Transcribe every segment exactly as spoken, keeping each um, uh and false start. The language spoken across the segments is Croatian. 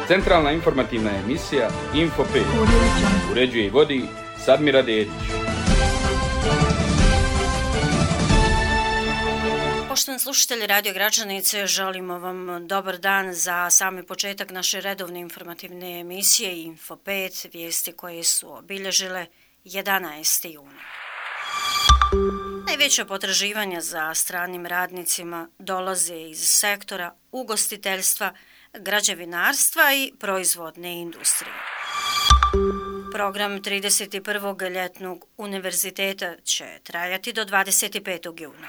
Centralna informativna emisija Info pet. Uređuje i vodi Sadmira Dedić. Poštovani slušatelji Radio Gračanice, želimo vam dobar dan za sami početak naše redovne informativne emisije Info pet, vijesti koje su obilježile jedanaesti juna. Najveća potraživanja za stranim radnicima dolaze iz sektora ugostiteljstva, građevinarstva i proizvodne industrije. Program trideset prvog ljetnog univerziteta će trajati do dvadeset petog juna.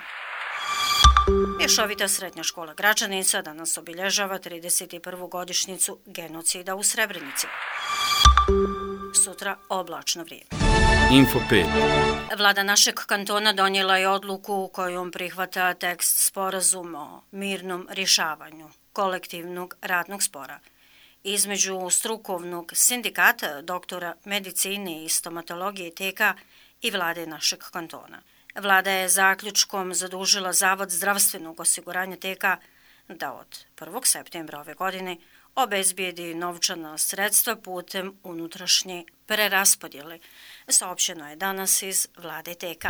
Mješovita srednja škola Gračanica danas obilježava trideset prvu godišnjicu genocida u Srebrenici. Sutra oblačno vrijeme. Info pet. Vlada našeg kantona donijela je odluku kojom prihvata tekst sporazuma o mirnom rješavanju kolektivnog radnog spora između strukovnog sindikata doktora medicine i stomatologije T K i vlade našeg kantona. Vlada je zaključkom zadužila Zavod zdravstvenog osiguranja T K da od prvog septembra ove godine obezbijedi novčana sredstva putem unutrašnje preraspodjele, saopćeno je danas iz vlade T K.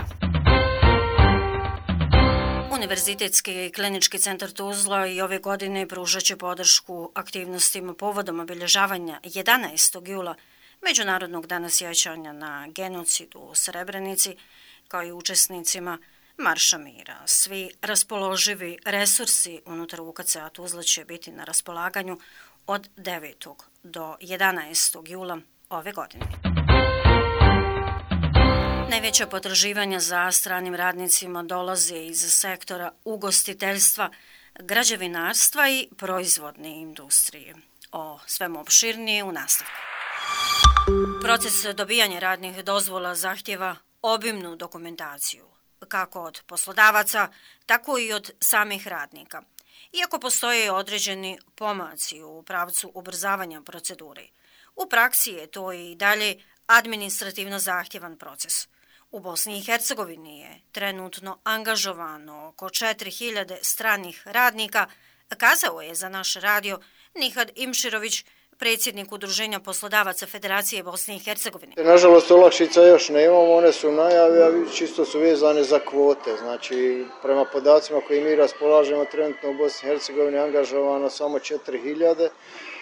Univerzitetski klinički centar Tuzla i ove godine pružat će podršku aktivnostima povodom obilježavanja jedanaestog jula, Međunarodnog dana sjećanja na genocid u Srebrenici, kao i učesnicima Marša mira. Svi raspoloživi resursi unutar U K C-a Tuzla će biti na raspolaganju od devetog do jedanaestog jula ove godine. Najveća potraživanja za stranim radnicima dolaze iz sektora ugostiteljstva, građevinarstva i proizvodne industrije. O svemu opširnije u nastavku. Proces dobijanja radnih dozvola zahtjeva obimnu dokumentaciju, kako od poslodavaca, tako i od samih radnika. Iako postoje određeni pomaci u pravcu ubrzavanja procedure, u praksi je to i dalje administrativno zahtjevan proces. U Bosni i Hercegovini je trenutno angažovano oko četiri hiljade stranih radnika, kazao je za naš radio Nihad Imširović, predsjednik Udruženja poslodavaca Federacije Bosne i Hercegovine. Nažalost, olakšica još nemamo, one su najavi, a čisto su vezane za kvote. Znači, prema podacima koji mi raspolažemo, trenutno u Bosni i Hercegovini angažovano samo četiri hiljade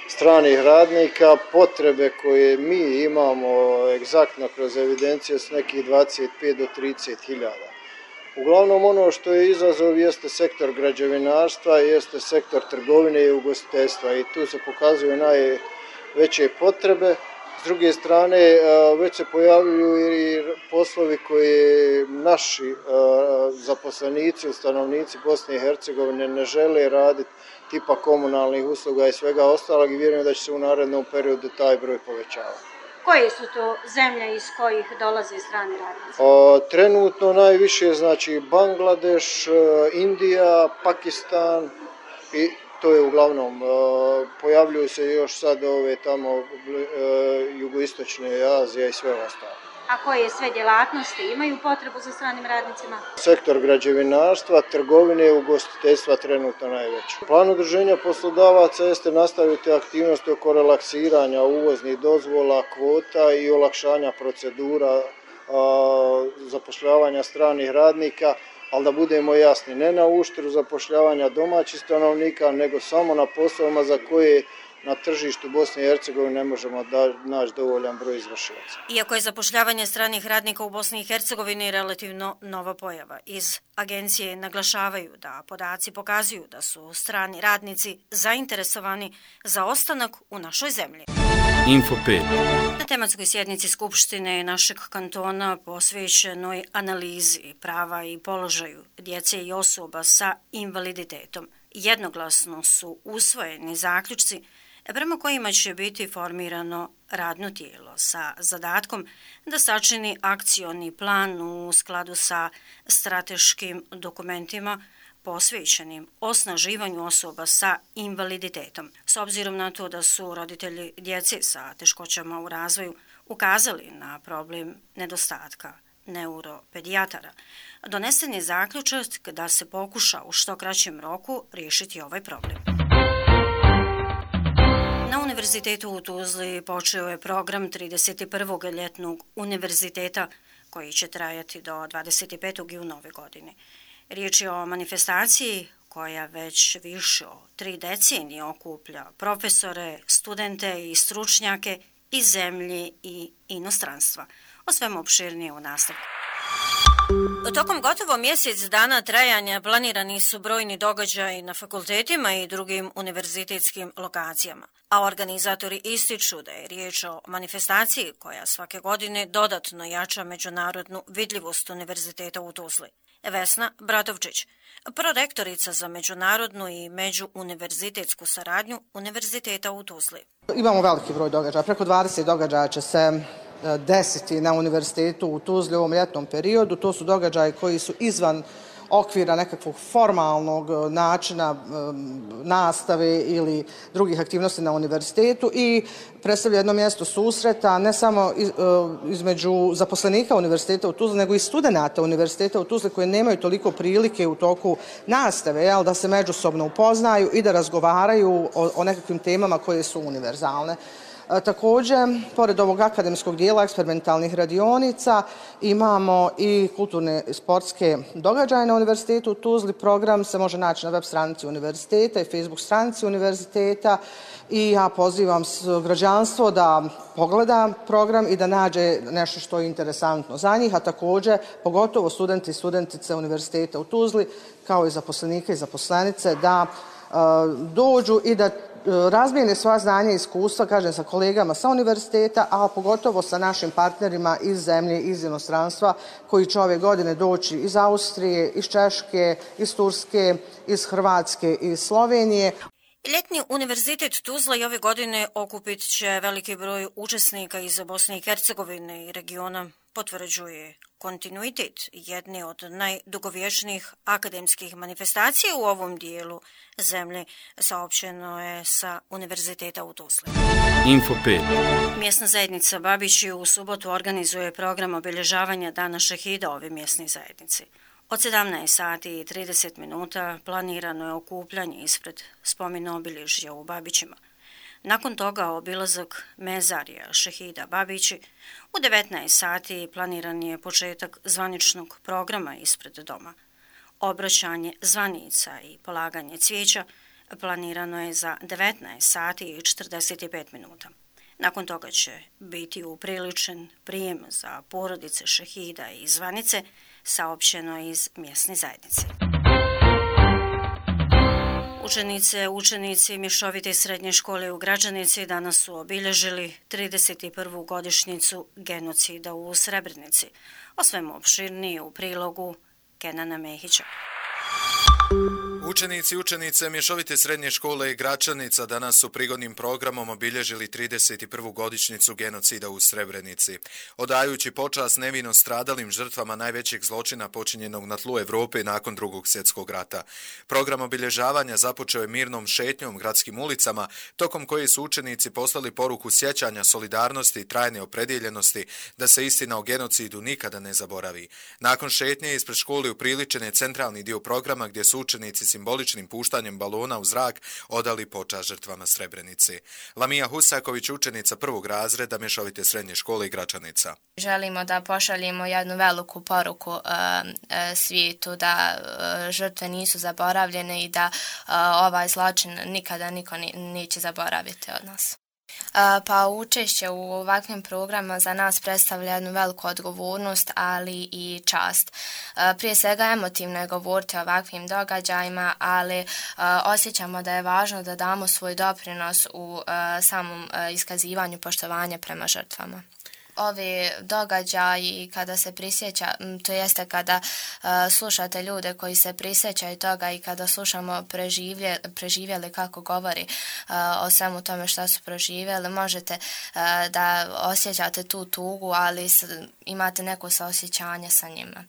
stranih radnika. Potrebe koje mi imamo egzaktno kroz evidencije su nekih dvadeset pet do trideset hiljada. Uglavnom, ono što je izazov jeste sektor građevinarstva, jeste sektor trgovine i ugostiteljstva i tu se pokazuju najveće potrebe. S druge strane, već se pojavljuju i poslovi koje naši zaposlenici, stanovnici Bosne i Hercegovine ne žele raditi, tipa komunalnih usluga i svega ostalog, i vjerujem da će se u narednom periodu taj broj povećavati. Koje su to zemlje iz kojih dolaze strani radnici? O, trenutno najviše znači Bangladeš, Indija, Pakistan i to je uglavnom. O, pojavljuju se još sad ove tamo o, jugoistočne Azije i sve ostalo. A koje sve djelatnosti imaju potrebu za stranim radnicima? Sektor građevinarstva, trgovine i ugostiteljstva trenutno najveći. Plan udruženja poslodavaca jeste nastaviti aktivnosti oko relaksiranja uvoznih dozvola, kvota i olakšanja procedura a, zapošljavanja stranih radnika, ali da budemo jasni, ne na uštru zapošljavanja domaćih stanovnika, nego samo na poslovima za koje na tržištu Bosne i Hercegovine ne možemo da naći dovoljan broj izvršilaca. Iako je zapošljavanje stranih radnika u Bosni i Hercegovini relativno nova pojava, iz agencije naglašavaju da podaci pokazuju da su strani radnici zainteresovani za ostanak u našoj zemlji. Info pet. Na tematskoj sjednici Skupštine našeg kantona posvećenoj analizi prava i položaju djece i osoba sa invaliditetom jednoglasno su usvojeni zaključci prema kojima će biti formirano radno tijelo sa zadatkom da sačini akcioni plan u skladu sa strateškim dokumentima posvećenim osnaživanju osoba sa invaliditetom. S obzirom na to da su roditelji djece sa teškoćama u razvoju ukazali na problem nedostatka neuropedijatara, donesen je zaključak da se pokuša u što kraćem roku riješiti ovaj problem. Na Univerzitetu u Tuzli počeo je program trideset prvog ljetnog univerziteta koji će trajati do dvadeset petog juna ove godine. Riječ je o manifestaciji koja već više od tri decenije okuplja profesore, studente i stručnjake iz zemlje i inostranstva. O svemu opširnije u nastavku. Tokom gotovo mjesec dana trajanja planirani su brojni događaji na fakultetima i drugim univerzitetskim lokacijama, a organizatori ističu da je riječ o manifestaciji koja svake godine dodatno jača međunarodnu vidljivost Univerziteta u Tuzli. Vesna Bratovčić, prorektorica za međunarodnu i međuuniverzitetsku saradnju Univerziteta u Tuzli. Imamo veliki broj događaja, preko dvadeset događaja će se desiti na Univerzitetu u Tuzli u ovom ljetnom periodu. To su događaji koji su izvan okvira nekakvog formalnog načina nastave ili drugih aktivnosti na univerzitetu i predstavlja jedno mjesto susreta ne samo između zaposlenika Univerziteta u Tuzli, nego i studenata Univerziteta u Tuzli koji nemaju toliko prilike u toku nastave, jel, da se međusobno upoznaju i da razgovaraju o, o nekakvim temama koje su univerzalne. Također, pored ovog akademskog dijela eksperimentalnih radionica, imamo i kulturne i sportske događaje na Univerzitetu u Tuzli. Program se može naći na web stranici univerziteta i Facebook stranici univerziteta i ja pozivam građanstvo da pogleda program i da nađe nešto što je interesantno za njih, a također pogotovo studenti i studentice Univerziteta u Tuzli kao i zaposlenike i zaposlenice da uh, dođu i da razmijene svoja znanja i iskustva, kažem, sa kolegama sa univerziteta, a pogotovo sa našim partnerima iz zemlje, iz inostranstva, koji će ove godine doći iz Austrije, iz Češke, iz Turske, iz Hrvatske i iz Slovenije. Ljetni univerzitet Tuzla i ove godine okupit će veliki broj učesnika iz Bosne i Hercegovine i regiona, potvrđuje kontinuitet jedne od najdugovječnijih akademskih manifestacija u ovom dijelu zemlje, saopćeno je sa Univerziteta u Tuzli. Info pet. Mjesna zajednica Babići u subotu organizuje program obilježavanja Dana šehida ove mjesne zajednice. Od sedamnaest sati i trideset minuta planirano je okupljanje ispred spomen obilježja u Babićima. Nakon toga obilazak mezarija šehida Babići. U devetnaest sati planiran je početak zvaničnog programa ispred doma. Obraćanje zvanica i polaganje cvijeća planirano je za devetnaest sati i četrdeset pet minuta. Nakon toga će biti upriličen prijem za porodice šehida i zvanice, saopćeno iz mjesne zajednice. Učenice, učenici Mješovite srednje škole u Gračanici danas su obilježili trideset prvu godišnjicu genocida u Srebrenici. O svemu opširnije u prilogu Kenana Mehića. Učenici i učenice Mješovite srednje škole i Gračanica danas su prigodnim programom obilježili trideset prvu godišnjicu genocida u Srebrenici, odajući počast nevino stradalim žrtvama najvećeg zločina počinjenog na tlu Europe nakon drugog svjetskog rata. Program obilježavanja započeo je mirnom šetnjom gradskim ulicama, tokom koje su učenici poslali poruku sjećanja, solidarnosti i trajne opredjeljenosti da se istina o genocidu nikada ne zaboravi. Nakon šetnje ispred škole upriličen je centralni dio programa gdje su učenici simboličnim puštanjem balona u zrak odali počast žrtvama Srebrenice. Lamija Husaković, učenica prvog razreda Mješovite srednje škole i Gračanica. Želimo da pošaljemo jednu veliku poruku uh, uh, svijetu da uh, žrtve nisu zaboravljene i da uh, ovaj zločin nikada niko ni, neće zaboraviti od nas. Pa učešće u ovakvim programima za nas predstavlja jednu veliku odgovornost, ali i čast. Prije svega emotivno je govoriti o ovakvim događajima, ali osjećamo da je važno da damo svoj doprinos u samom iskazivanju poštovanja prema žrtvama. Ovi događaji kada se prisjeća, to jeste kada uh, slušate ljude koji se prisjećaju toga i kada slušamo preživlje, preživjeli kako govori uh, o svemu tome što su proživjeli, možete uh, da osjećate tu tugu, ali s, imate neko saosjećanje sa njima.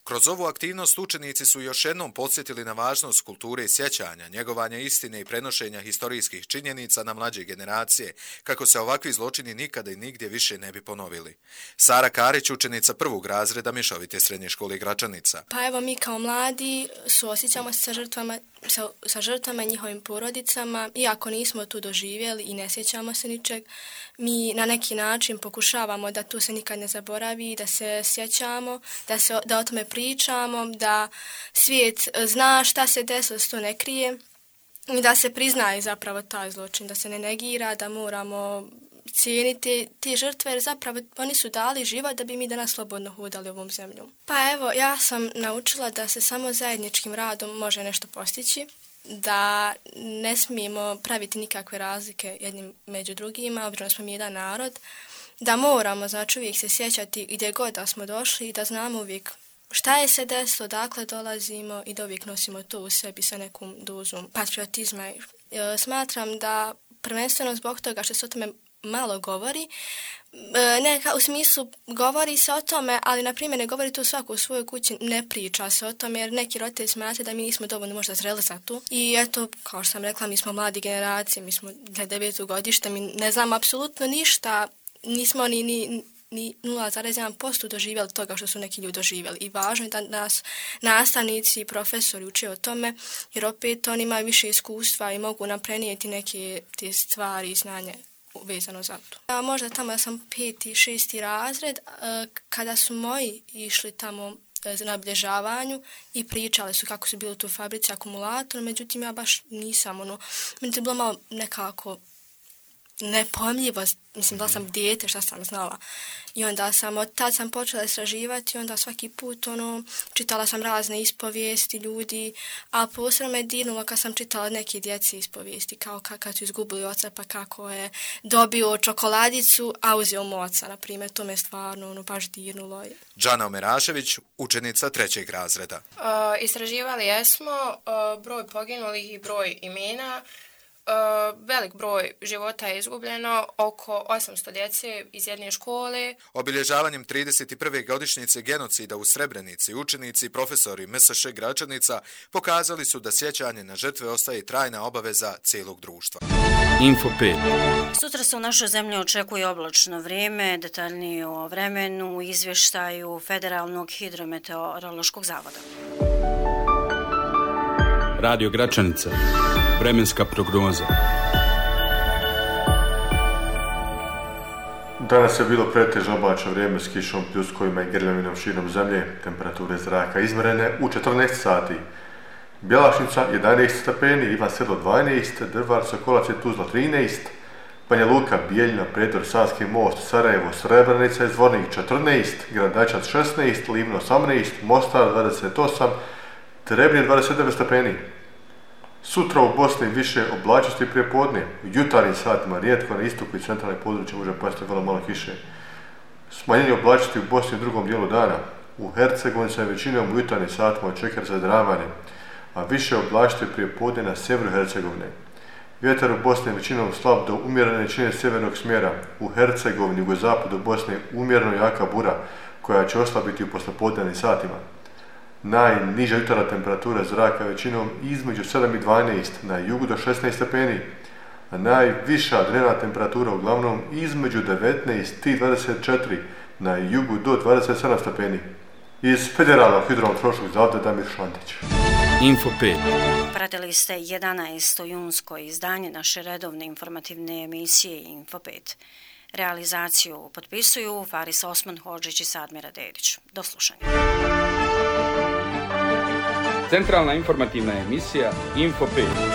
Kroz ovu aktivnost učenici su još jednom podsjetili na važnost kulture i sjećanja, njegovanja istine i prenošenja historijskih činjenica na mlađe generacije, kako se ovakvi zločini nikada i nigdje više ne bi ponovili. Sara Karić, učenica prvog razreda Mješovite srednje škole Gračanica. Pa evo, mi kao mladi suosjećamo se sa žrtvama, sa, sa žrtvama i njihovim porodicama, iako nismo tu doživjeli i ne sjećamo se ničeg, mi na neki način pokušavamo da tu se nikad ne zaboravi, da se sjećamo, da, se, da o tome pričamo, da svijet zna šta se desilo, da se to ne krije i da se priznaje zapravo taj zločin, da se ne negira, da moramo cijeniti te žrtve, jer zapravo oni su dali život da bi mi danas slobodno hodali ovom zemljom. Pa evo, ja sam naučila da se samo zajedničkim radom može nešto postići, da ne smijemo praviti nikakve razlike jednim među drugima, obzirom smo mi jedan narod, da moramo, znači, uvijek se sjećati gdje god da smo došli i da znamo uvijek šta je se desilo, dakle dolazimo i da uvijek nosimo to u sebi sa nekom dozom patriotizma. E, smatram da prvenstveno zbog toga što se o tome malo govori, ne, u smislu govori se o tome, ali na primjer ne govori to svako u svojoj kući, ne priča se o tome, jer neki roditelji smatraju da mi nismo dovoljno možda zreli za to. I eto, kao što sam rekla, mi smo mladi generacije, mi smo deveto godište, mi ne znamo apsolutno ništa, nismo ni, ni, ni nula zarez jedan posto doživjeli toga što su neki ljudi doživjeli. I važno je da nas nastavnici i profesori uče o tome, jer opet oni imaju više iskustva i mogu nam prenijeti neke te stvari i znanje vezano za to. Ja, možda tamo ja sam peti, šesti razred, kada su moji išli tamo na obilježavanju i pričali su kako su bili tu u fabrici akumulator, međutim ja baš nisam, ono, meni to je bilo malo nekako nepojmljivo, mislim da sam dijete, šta sam znala. I onda sam, od tad sam počela istraživati i onda svaki put, ono, čitala sam razne ispovijesti ljudi, a posebno me dirnulo kad sam čitala neke djeci ispovijesti, kao kad su izgubili oca, pa kako je dobio čokoladicu, a uzeo mu oca, na primjer, to me stvarno, ono, baš dirnulo. Džana Omerašević, učenica trećeg razreda. Uh, istraživali jesmo uh, broj poginulih i broj imena. Uh, velik broj života je izgubljeno, oko osamsto djece iz jedne škole. Obilježavanjem trideset prve godišnjice genocida u Srebrenici, učenici i profesori M S Š Gračanica pokazali su da sjećanje na žrtve ostaje trajna obaveza cijelog društva. Info pet. Sutra se u našoj zemlji očekuje oblačno vrijeme, detaljnije o vremenu u izvještaju Federalnog hidrometeorološkog zavoda. Radio Gračanica. Vremenska prognoza. Danas je bilo pretežno oblačno vrijeme s kišom, pljuskovima i grljavinom širom zemlje. Temperature zraka izmjerene u četrnaest sati. Bjelašnica jedanaest stepeni, Ivan Sedlo dvanaest, Drvar, Sokolac i Tuzla trinaest, Banja Luka, Bijeljina, Predor, Savski most, Sarajevo, Srebrenica i Zvornik četrnaest, Gradačac šesnaest, Livno osamnaest, Mostar dvadeset osam, Trebnje dvadeset devet stepeni. Sutra u Bosni više oblačnosti prije podne. U jutarnjim satima rijetko na istoku i centralne područje može pasti vrlo malo kiše. Smanjenje oblačnosti u Bosni u drugom dijelu dana. U Hercegovini se većinom u jutarnjim satima očekuje zadravanje, a više oblačnosti prije podne na sjeveru Hercegovine. Vjetar u Bosni je većinom slab do umjerene jačine sjevernog smjera. U Hercegovini, jugozapadu Bosne, umjereno jaka bura koja će oslabiti u poslijepodnevnim satima. Najniža jutarnja temperatura zraka većinom između sedam i dvanaest, na jugu do šesnaest stepeni, a najviša dnevna temperatura uglavnom između devetnaest i dvadeset četiri, na jugu do dvadeset sedam stepeni. Iz Federalnog hidrometeorološkog zavoda Damir Šantić. Info pet. Pratili ste jedanaesto junsko izdanje naše redovne informativne emisije Info pet. Realizaciju potpisuju Faris Osman Hodžić i Sadmira Dedić. Do slušanja. Centralna informativna emisija Info pet.